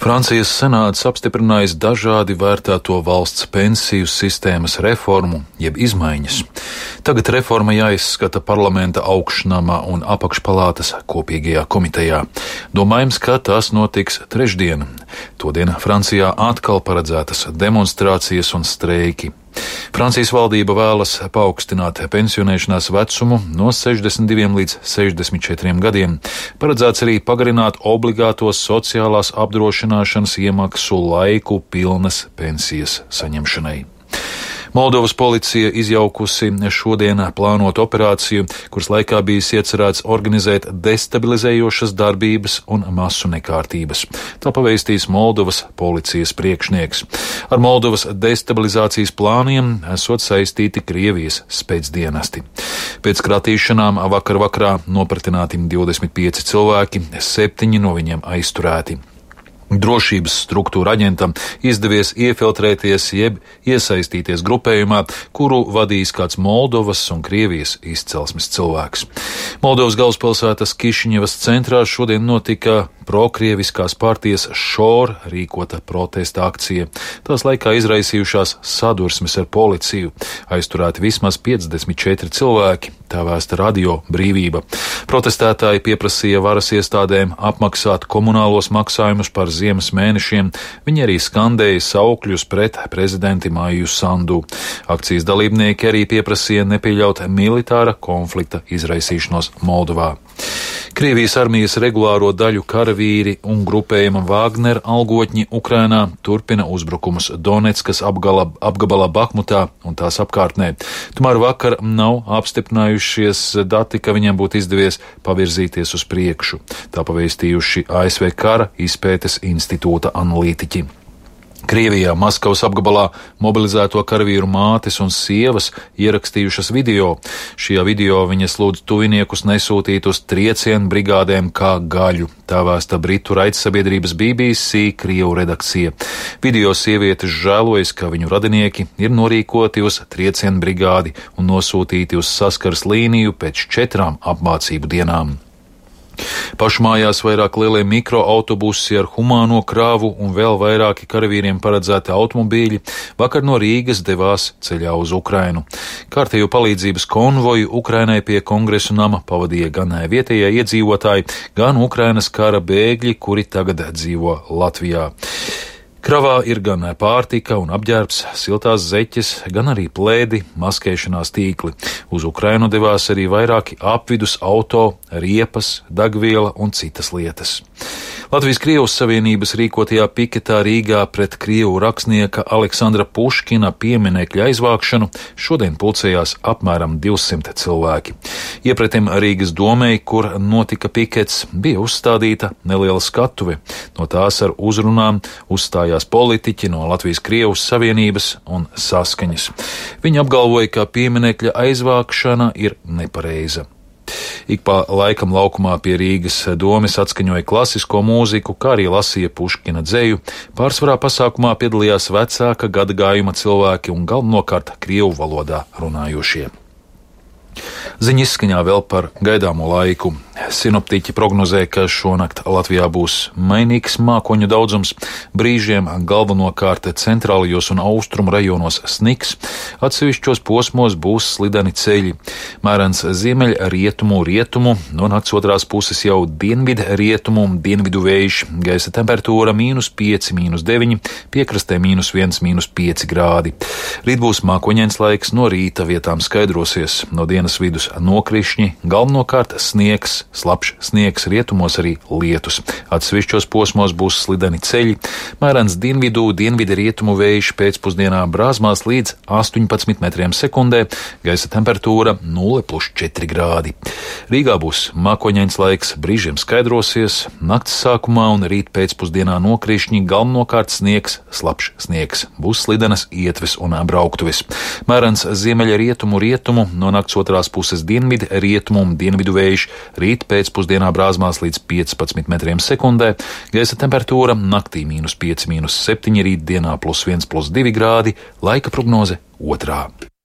Francijas senāts apstiprinājis dažādi vērtēto valsts pensiju sistēmas reformu, jeb izmaiņas. Tagad reforma jāizskata parlamenta augšnama un apakšpalātas kopīgajā komitejā. Domājams, ka tas notiks trešdien. Todien Francijā atkal paredzētas demonstrācijas un streiki. Francijas valdība vēlas paaugstināt pensionēšanās vecumu no 62 līdz 64 gadiem. Paredzēts arī pagarināt obligātos sociālās apdrošināšanas iemaksu laiku pilnas pensijas saņemšanai. Moldovas policija izjaukusi šodien plānotu operāciju, kuras laikā bijis iecerēts organizēt destabilizējošas darbības un masu nekārtības. Tā pavēstīs Moldovas policijas priekšnieks. Ar Moldovas destabilizācijas plāniem esot saistīti Krievijas spēcdienesti. Pēc kratīšanām vakarā nopratināti 25 cilvēki, 7 no viņiem aizturēti. Drošības struktūra aģentam izdevies iefiltrēties jeb iesaistīties grupējumā, kuru vadīs kāds Moldovas un Krievijas izcelsmes cilvēks. Moldovas galvaspilsētas Kišiņevas centrā šodien notika prokrieviskās partijas Šor rīkota protesta akcija. Tās laikā izraisījušās sadursmes ar policiju. Aizturēti vismaz 54 cilvēki, tā vēsta Radio Brīvība. Protestētāji pieprasīja varas iestādēm apmaksāt komunālos maksājumus par ziemas mēnešiem. Viņi arī skandēja saukļus pret prezidenti Maiju Sandu. Akcijas dalībnieki arī pieprasīja nepieļaut militāra konflikta izraisīšanos Moldovā. Krievijas armijas regulāro daļu karavīri un grupējuma Wagner algotņi Ukrainā turpina uzbrukumus Donetskas apgabalā Bahmutā un tās apkārtnē. Tomēr vakar nav apstiprinājušies dati, ka viņiem būtu izdevies pavirzīties uz priekšu. Tā pavēstījuši ASV Kara izpētes institūta analītiķi. Krievijā, Maskavas apgabalā mobilizēto karavīru mātes un sievas ierakstījušas video. Šajā video viņas lūdz tuviniekus nesūtīt uz triecienu brigādēm kā gaļu. Tā vēsta britu raidsabiedrības BBC Krievu redakcija. Video sievietes žēlojas, ka viņu radinieki ir norīkoti uz triecienu brigādi un nosūtīti uz saskares līniju pēc 4 apmācību dienām. Pašmājās vairāk lielie mikroautobusi ar humāno krāvu un vēl vairāki karavīriem paredzēti automobīļi vakar no Rīgas devās ceļā uz Ukrainu. Kārtējo palīdzības konvoju Ukrainai pie Kongresu nama pavadīja gan vietējie iedzīvotāji, gan Ukrainas kara bēgļi, kuri tagad dzīvo Latvijā. Kravā ir gan pārtika un apģērbs, siltās zeķes, gan arī plēdi, maskēšanās tīkli. Uz Ukrainu devās arī vairāki apvidus auto, riepas, degviela un citas lietas. Latvijas-Krievijas Savienības rīkotajā piketā Rīgā pret krievu rakstnieka Aleksandra Puškina pieminekļa aizvākšanu šodien pulcējās apmēram 200 cilvēki. Iepretim Rīgas domei, kur notika pikets, bija uzstādīta neliela skatuve. No tās ar uzrunām uzstājās politiķi no Latvijas-Krievijas Savienības un Saskaņas. Viņi apgalvoja, ka pieminekļa aizvākšana ir nepareiza. Ik pa laikam laukumā pie Rīgas domes atskaņoja klasisko mūziku, kā arī lasīja Puškina dzeju. Pārsvarā pasākumā piedalījās vecāka gadagājuma cilvēki un galvenokārt krievu valodā runājošie. Ziņa izskaņā vēl par gaidāmo laiku. Sinoptiķi prognozē, ka šonakt Latvijā būs mainīgs mākoņu daudzums, brīžiem galvenokārt centrālajos un austrumu rajonos sniks, atsevišķos posmos būs slideni ceļi. Mērens ziemeļrietumu, no nakts otrās puses jau dienvidrietumu, dienvidu vējš, gaisa temperatūra -5, -9, piekrastē -1, -5 grādi. Rīt būs mākoņains laiks, no rīta vietām skaidrosies, no dienas vidus nokrišņi, galvenokārt sniegs, slapjš sniegs, rietumos arī lietus. Atsevišķos posmos būs slideni ceļi, mērens dienvidu-rietumu vējš pēcpusdienā brāzmās līdz 18 metriem sekundē, gaisa temperatūra 0+4 grādi. Rīgā būs mākoņains laiks, brīžiem skaidrosies, nakts sākumā un rīt pēcpusdienā nokrišņi, galvenokārt sniegs, slapjš sniegs, būs slidenas ietves un brauktuves. Mērens ziemeļrietumu, no nakts otrās puses dienvidrietumu un dienvidu vējš, rīt pēcpusdienā brāzmās līdz 15 metriem sekundē, gaisa temperatūra naktī -5, -7, rīt dienā +1, +2 grādi, laika prognoze 2.